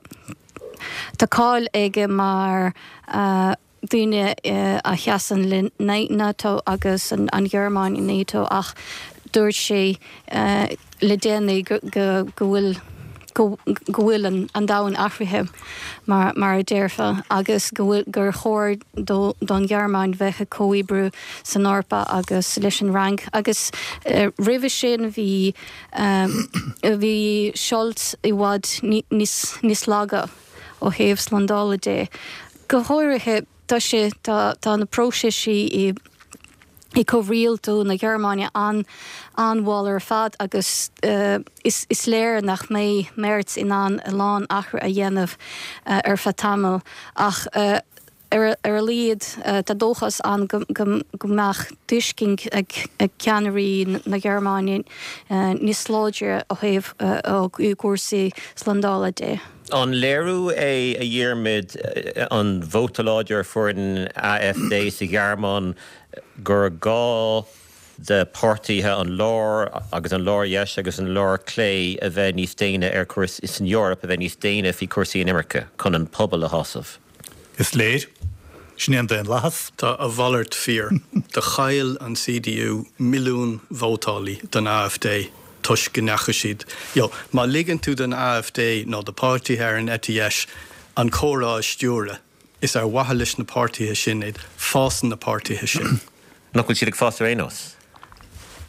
tá cáil aige mar duine a sheasann le NATO agus an Ghearmáin i NATO ach dúirt sé le déanaí go bhfuil go bhfuil an domhan athraithe mar mar a déarfá agus go bhfuil gur chóir don Ghearmáin bheith ag comhoibriú san Eorpa agus leis an Fhrainc agus roimhe sin bhí bhí Scholz i bhfad níos níos laga ó thaobh slándála de. Go háirithe tá sé tá tá na próiseas i i comhrialtú na Gearmáine an an-mhall ar fad agus is is léir nach mbeidh Merz in ann a lán athrú a dhéanamh ar feadh tamaill ach ar ar a laghad tá dóchas ann go go go mbeadh tuiscint ag ag ceannairí na Gearmáine níos láidre ó thaobh ó cúrsaí slándála de. An léiriú é, a Dhiarmaid, an vóta láidir a fuair an AfD sa Ghearmáin gur gá do pháirtithe an lár agus an lár-dheis agus an lár-chlé a bheith níos déine ar chúrsaí san Eoraip a bheith níos déine faoi chúrsaí inimirce chun an pobal a shásamh? Is léir. Sin é an daonlathas. Tá a mhalairt fíor. Do chaill an C D U milliún vótálaí don A F D toisc go ndeachaigh siad. You know, má ligeann tú don A F D nó do páirtithe ar an eite dheis an comhrá a stiúradh, is ar mhaithe leis na páirtithe sin iad, fásann na páirtithe sin. Nach bhfuil siad ag fás ar aon nós?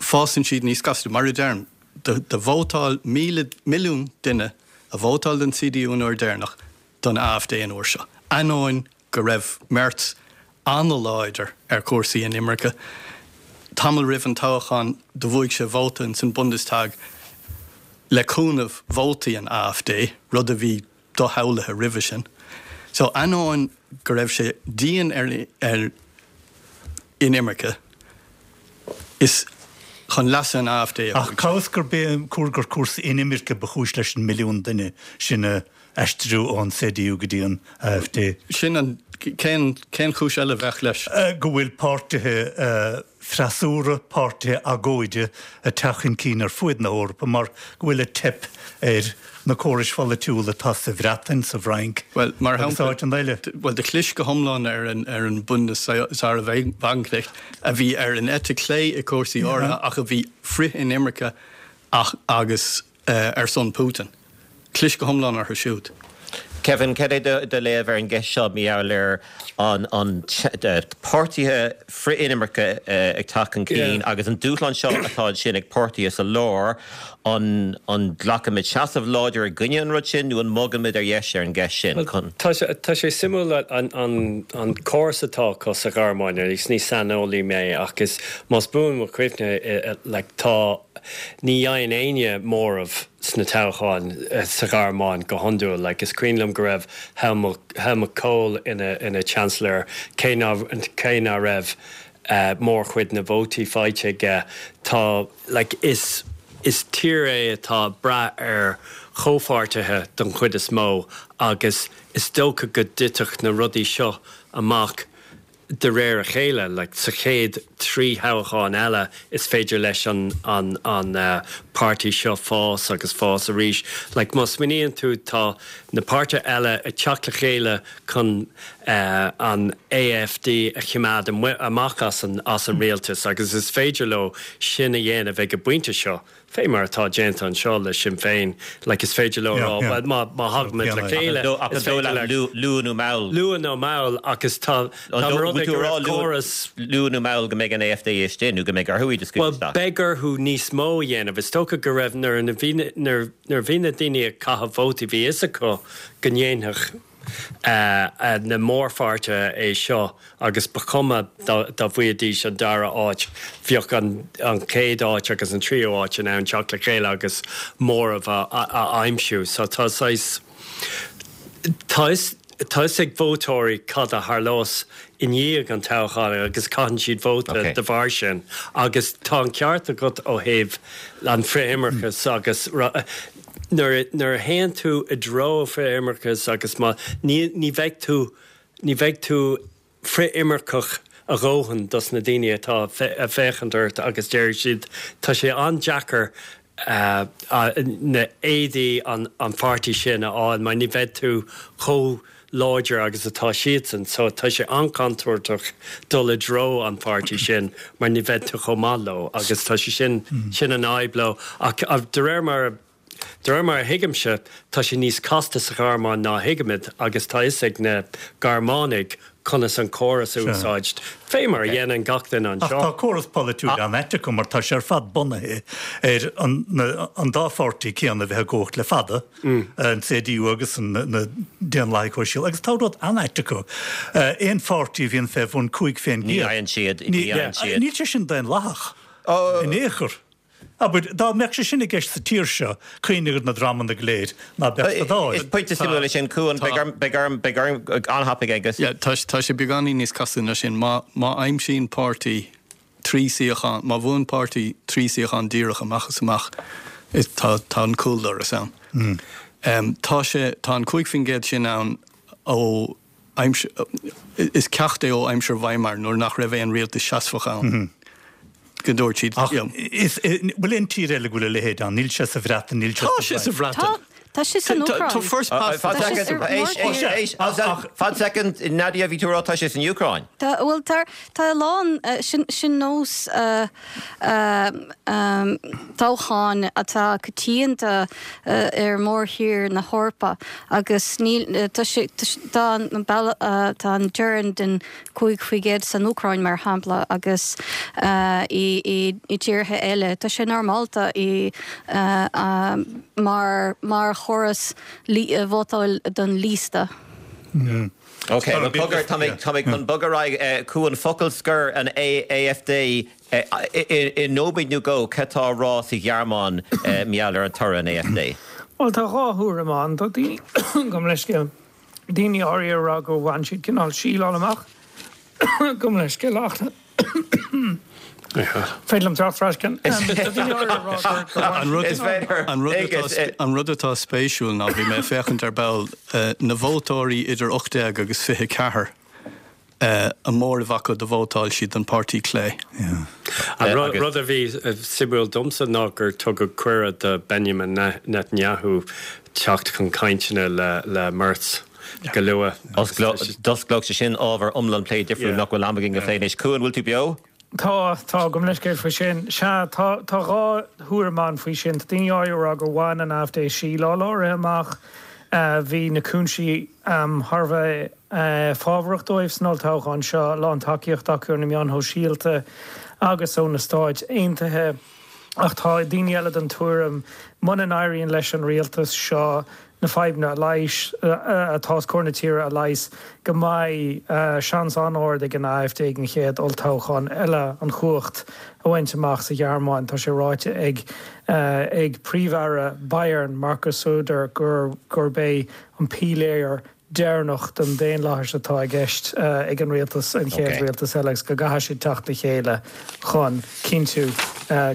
Fásann siad níos gasta. Mar a deirim, do vótáil míle milliún duine a vótáil don C D U an uair deireanach don A F D an uair seo. Ainneoin go raibh Merz an-láidir ar chúrsaí inimirce. Tamall roimh an toghchán do bhuaigh sé vóta in san Bundestag le cúnamh vótaí an A F D, rud a bhí doshamhlaithe roimhe sin. So ainneoin go raibh sé dian ar, ar inimirce, is chun leasa an A F D a Ach cá bhfios gur bé cúr gur cúrsaí inimirce ba chúis leis an milliún duine sin a aistriú ón C D U go dtí an A F D. Sin an cén cén chúis eile bheadh leis? Go bhfuil páirtithe freasúra, páirtithe agóide ag teacht chun cinn ar fuaid na hEorpa mar go bhfuil ag teip ar na córais pholaitiúla atá sa Bhreatain, sa Fhrainc Well, mar agus shampla áiteanna eile. Well, do chlis go hiomlán ar an ar an Bündnis Sahra Wagenknecht a bhí ar an eite chlé i cúrsaí áirithe ach a bhí frith-inimirce ach agus uh, ar son Putin. Chlis go hiomlán orthu siúd. Kevin, cad é do do léamh ar an gceist seo maidir le an an páirtithe frith-inimirce ag teacht chun cinn agus an dúshlán seo atá sin ag páirtithe sa lár, an an nglacfaimid seasamh láidir i gcoinne an rud sin nó an mbogfaimid ar dheis ar an gceist sin chun. Tá sé tá sé suimiúil an an an córas atá acu sa Ghearmáin is ní saineolaí mé ach is más buan mo chuimhne, like, tá ní fhaigheann éinne móramh sna toghcháin sa Ghearmáin go hiondúil, like, is cuimhin liom go raibh Helmut, Helmut Kohl ina ina chancellor cé ná cé ná raibh uh, mórchuid na vótaí faighte aige. Tá, like, is is tír é atá brath ar chomhpháirtithe don chuid is mó agus is dócha go dtitfeadh na rudaí seo amach de réir a chéile, like, sa chéad trí thoghchán eile is féidir leis an an an uh, páirtí seo fás agus fás arís. Like, má smaoiníonn tú, tá na páirtithe eile ag teacht le chéile chun uh, an A F D a choimeád amach as an, as an rialtas agus is féidir leo sin a dhéanamh ag an bpointe seo. Fé mar atá déanta anseo le Sinn Féin, like, is féidir leo rá má má thagaimid le chéile luath nó mall. Luath nó mall agus tá córas luath nó mall go mbeidh an A F D istigh nó go mbeidh orthu iad Well, beidh orthu níos mó a dhéanamh. Is dócha go raibh nuair nuair bhí na daoine ag caitheamh vótaí bhí fhios acu go ndéanfadh Uh, uh, na mórpháirtithe é seo agus ba chuma dá bhfaighidís an dara áit, bheadh an, an chéad áit agus an tríú áit in ann teacht le chéile agus móramh a, a, a aimsiú. So tá tá tá ag vótóirí cad a tharlós i ndiaidh an toghcháin agus caitheann siad vóta okay. de bharr sin. Agus tá an ceart agat ó thaobh an frith-imirceas agus nuair nuair a théann tú i dtreo frith-imirceas agus má ní ní bheidh tú ní bheidh tú frith-imirceach a dhóthain dos na daoine atá ag féachaint ort agus deir siad tá sé an-deacair uh, uh, na éadaí an, an pháirtí sin a fháil mar ní bheidh tú chomh láidir agus atá siadsan, so tá sé an-chontúirteach dul i dtreo an pháirtí sin mar ní bheidh tú chomh maith leo agus tá sé sin mm. sin an fhadhb leo ach de réir mar De réir mar a thuigimse tá sé níos casta sa Ghearmáin ná thuigimid agus tá fhios ag na Gearmánaigh conas an córas a úsáid. Fé mar a dhéanann gach duine anseo. Tá córas polaitiúil an-ait acu mar tá sé ar fad bunaithe ar an, an dá pháirtí céanna bheith i gcumhacht le fada, mm. an C D U agus an na Daonlathaigh Shóisialta, agus tá rud an-ait acu. Aon pháirtí a bhíonn fé bhun cúig faoin Ní fhaigheann siad. Níl sé sin daonlathach. In aon chor. Abair, dá mbeadh sé sin i gceist sa tír seo, cuimhnigh ar na dreamanna go léir ná beadh sa Dáil. Is pointe suimiúil é sin, Cuan, beidh orm beidh orm an-thapaidh Aengus. Yeah, tá tá sé beagáinín níos casta ná sin. Má má aimsíonn páirtí trí suíochán, má bhuann páirtí trí suíochán díreach amach is amach, is tá tá an cúldoras ann. Mm. Um, tá sé tá an cúig faoin gcéad sin ann ó aimsir is ceacht é ó aimsir Weimar nuair nach raibh aon rialtas seasmhach ann. Mm -hmm. Go dúirt siad Ach is bhfuil aon tír eile go bhfuil a leithéid ann, níl sé sa Bhreatain, níl sé Tá sé sa Bhreatain. Tá sé san Úcráin. Tá first past Fan second, fan second, Nadia bhí tú ag rá tá sé san Úcráin. Tá bhuel tá tá a lán sin sin nós toghcháin atá coitianta ar mórthír na hEorpa agus níl tá sé tá an tá an teorainn den cúig faoi gcéad san Úcráin mar shampla agus i i i tíortha eile tá sé normálta i mar mar chóras vótáil don liosta. Ok, well cogar tá mé tá mé chun bogadh ar aghaidh chuig an focal scoir an AfD i nóiméad nó dhó cad tá á rá sa Ghearmáin mar gheall ar an toradh an AfD. Well tá dhá thuairim ann tá daoine gabh mo leithscéal daoine áirithe ag rá gur bhain siad cineál síleáil amach gabh mo leithscéal ach Féidir liom teacht ar ais ceann. An rud atá spéisiúil ná bhí mé ag féachaint ar ball na vótóirí idir ocht déag agus fiche ceathair a móramh acu do vótáil siad don páirtí clé. An rud a bhí suimiúil domsa ná gur tugadh cuireadh do Benjamin Netanyahu teacht chun cainteanna le Merz go luath. D'osclódh sé sin ábhar iomlán plé difriúil nach bhfuil am againn a phlé anois. Cuan, bhfuil tú beo? Tá, tá, gabh mo leithscéal faoi sin. Sea, tá, tá dhá thuairim ann faoi sin. Tá daoine áirithe ag rá gur bhain an AfD síleáil áirithe amach. Bhí na cúinsí thar a bheith fábharach dóibh san olltoghchán seo, a lán tacaíocht acu ar na meáin shóisialta agus ó na Stáit Aontaithe. Ach tá daoine eile den tuairim, muna n-éiríonn leis an rialtas seo na fadhbanna a leigheas, atá os comhair na tíre a leigheas, go mbeidh seans an-ard ag an AfD ag an chéad olltoghchán eile an chumhacht a bhaint amach sa Ghearmáin. Tá sé ráite ag ag Príomh-Aire Bayern, Markus Söder, gurb é an píléar deireanach den daonlathas atá i gceist ag an rialtas, an chéad rialtas eile, agus go gcaithfidh siad teacht le chéile chun cinntiú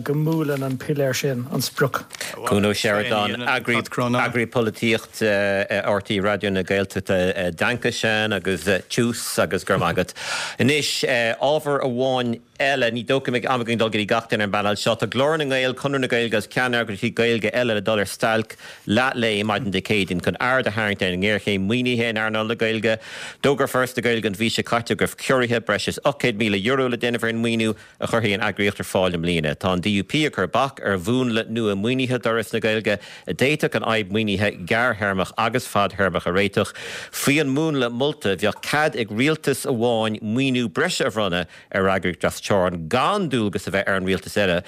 go mbuaileann an piléar sin an sprioc. Cuan Ó Seireadáin, Eagraí Polaitíochta R T É Raidió na Gaeltachta, Danke schön agus Tschüss agus go raibh maith agat. Anois, ábhar amháin eile, ní dócha go mbeidh am againn dul go dtí gach duine ar an bpainéal seo. Tá Glór na nGael, Conradh na Gaeilge agus ceanneagraíochtaí Gaeilge eile le dul ar stailc leath lae maidin Dé Céadaoin chun aird a tharraingt ar an ngéarchéim maoinithe in earnáil na Gaeilge. D'fhógair Foras na Gaeilge an mhí seo caite go raibh ciorruithe breis is ocht gcéad míle euro le déanamh ar an maoiniú a chuirfidh an eagraíocht ar fáil i mbliana. Tá an D U P ag cur bac ar mhúnla nua maoinithe d'Fhoras na Gaeilge a d'fhéadfadh an fhadhb maoinithe gearrthéarmach agus fadthéarmach a réiteach. Faoi an múnla molta bheadh cead ag rialtas amháin maoiniú breise a bhronnadh ar eagraíocht trasteorann gan dualgas a bheith ar an rialtas eile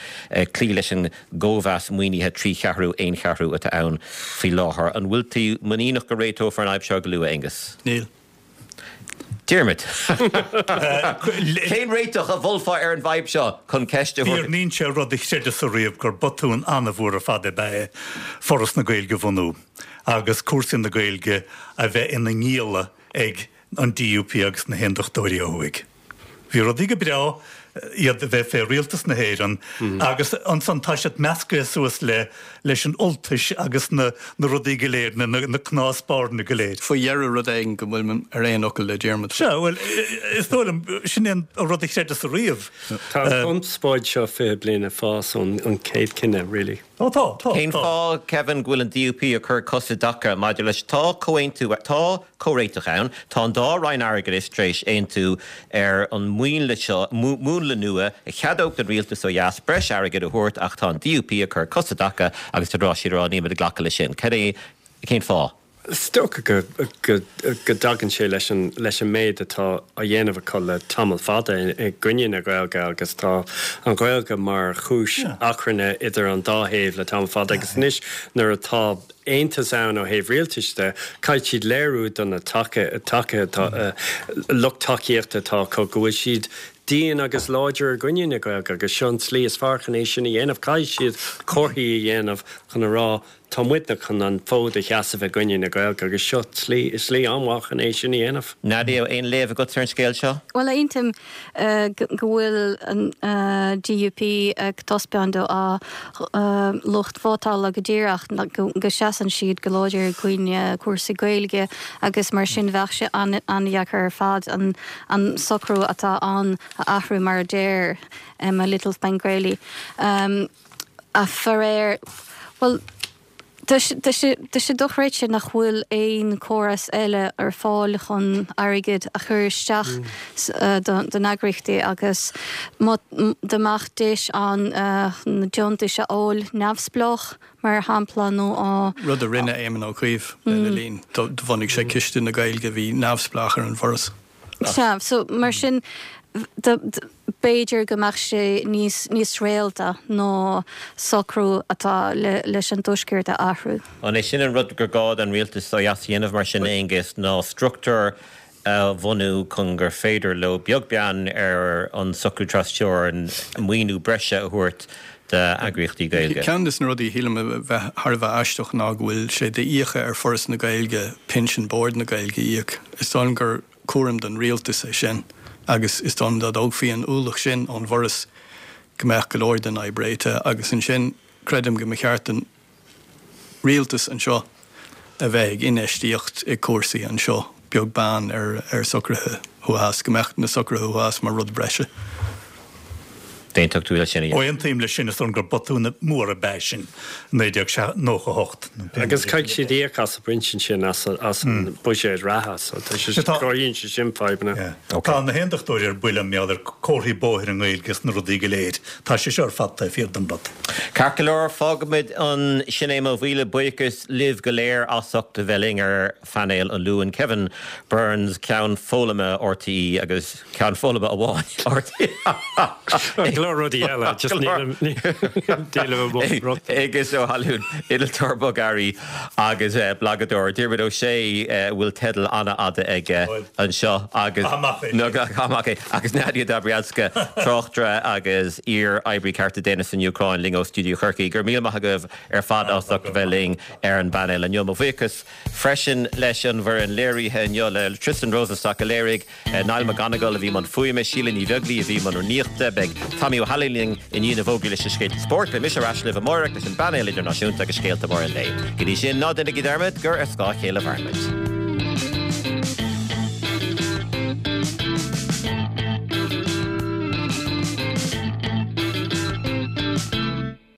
cloí leis an gcóimheas maoinithe trí cheathrú aon cheathrú atá ann faoi láthair. An bhfuil tú muiníneach go réiteofar an fhadhb seo go luath, Aengus? Níl. Diarmuid. Cén réiteach a mholfá ar an bhfadhb seo chun ceist a thabhairt? Ní sé rud a chreideas ariamh gur botún an-mhór ar fad ab ea é Foras na Gaeilge a bhunú agus cúrsaí na Gaeilge a bheith ina ngialla ag an D U P agus na hAondachtóirí ó thuaidh. Bhí rudaí go breá iad a bheith fé rialtas na hÉireann agus ansan tá siad measctha suas le leis an Ultais agus na na rudaí go léir, na na cnámha spairne go léir. Faoi dheireadh rud éigin go bhfuil ar aon fhocal le Diarmuid. Sea, bhuel, is dóigh liom, sin é an rud a chreideas ariamh. Tá an chonspóid seo fiche bliain ag fás ón an chéad chinneadh, really. Ó tá, tá, Cén tá. fáth, Kevin, go bhfuil an D U P ag cur cos i dtaca maidir leis? Tá comhaontú, tá comhréiteach ann, tá an dá Roinn Airgeadais tar éis aontú ar an múnla seo, múnla nua a cheadódh don rialtas ó dheas breis airgid a thabhairt ach tá an D U P ag cur cos i dtaca agus tá siad ag rá nílimid ag glacadh leis sin. Cad é, cén fáth? Is dócha go go go dtagann sé leis an leis an méid atá á dhéanamh acu le tamall fada i gcoinne na Gaeilge agus tá an Ghaeilge mar chúis achrainn idir an dá thaobh le tamall fada agus anois nuair atá aontas ann ó thaobh rialtais de, caithfidh siad léiriú do na taca taca atá lucht tacaíochta atá acu go bhfuil siad dian agus láidir i gcoinne na Gaeilge agus seo an tslí is fearr chun é sin a dhéanamh. Caithfidh siad comharthaí a dhéanamh chun a rá tá muidne chun an fód a sheasamh i gcoinne na Gaeilge agus seo slí slí an-mhaith chun é sin a dhéanamh. Nadia, aon léamh agat ar an scéal seo? Well aontaím go bhfuil an D U P ag taispeáint dá lucht vótála go díreach go seasann siad go láidir i gcoinne cúrsaí Gaeilge agus mar sin bheadh sé an-deacair ar fad an an socrú atá ann a athrú mar a deir Emma Little Spangreli. Um, a faraor, well, Tá sé dochreidte nach bhfuil aon córas eile ar fáil chun airgead a chur isteach don eagraíochtaí agus dá mbeadh deis ann na deontais a fháil neamhspleách mar shampla nó á. Rud a rinne Éamon Ó Cuív lena linn, do bhunaigh sé Ciste na Gaeilge a bhí neamhspleách ar an bhForas. Sea, so mar sin b'fhéidir go mbeadh sé níos níos réalta ná socrú atá leis an Tuaisceart a athrú. An é sin an rud gur gá don rialtas ó dheas a dhéanamh mar sin, Aengus, ná struchtúr a bhunú chun gur féidir leo, beag beann ar an socrú trasteorann, maoiniú breise a thabhairt d'eagraíochtaí Gaeilge? Ceann de na rudaí a shílim a bheith thar a bheith aisteach ná go bhfuil sé d'fhiacha ar Foras na Gaeilge pinsean Bord na Gaeilge a íoc. Is dóigh liom gur cúram don rialtas é sin agus is dóigh liom dá dtógfaí an ualach sin ón bhForas go mbeadh go leor den fhadhb réitithe agus ansin creidim go mba cheart don rialtas anseo a bheith ag infheistíocht i cúrsaí anseo beag beann ar ar socruithe thuas, go mbeadh na socruithe thuas mar rud breise. D'aontódh tú leis sin, a Ó aontaím leis sin, is dóigh liom gur botún mór ab ea sin, naoi déag nócha a hocht. Agus caithfidh siad íoc as an bpinsean sin as an buiséad reatha, so tá sé, cruthaíonn sé sin fadhbanna. Tá na hAondachtóirí ar buile mar gheall ar comharthaí bóthair i nGaeilge is na rudaí go léir. Tá sé seo ar fad taobh thiar den rud. Ceart go leor, fágfaimid ansin é. Mo mhíle buíochas libh go léir as ucht a bheith linn ar phainéal an Luain. Kevin Burns, Ceann Foghlama RTÉ agus Ceann Foghlama amháin RTÉ. Go leor rudaí eile, just nílim nílim Aengus Ó hAlmhain, innealtóir bogearraí agus blagadóir. Diarmuid Ó Sé, a bhfuil teideal an-fhada aige anseo agus amach é, agus Nadia Dobryanska, tráchtaire agus iar-oibrí cearta daonna san Úcráin, linn ó Stiúideo Chorcaí. Go raibh míle maith agaibh ar fad as ucht a bheith linn ar an bpainéal inniu. Mo bhuíochas freisin leis an bhfoireann léirithe inniu, le Tristan Rosenstock a léirigh, Niall McGonigal a bhí i mbun fuaime, Síle Ní Bheaglaoí a bhí i mbun rúnaíochta. Beidh Tommy Ó hAilín linn i ndiaidh na bhfógraí leis na scéalta spóirt. Beidh mise ar ais libh amárach leis an bpainéal idirnáisiúnta agus scéalta móra an lae. Go dtí sin, ná déanaigí dearmad gur ar scáth a chéile a mhaireann muid.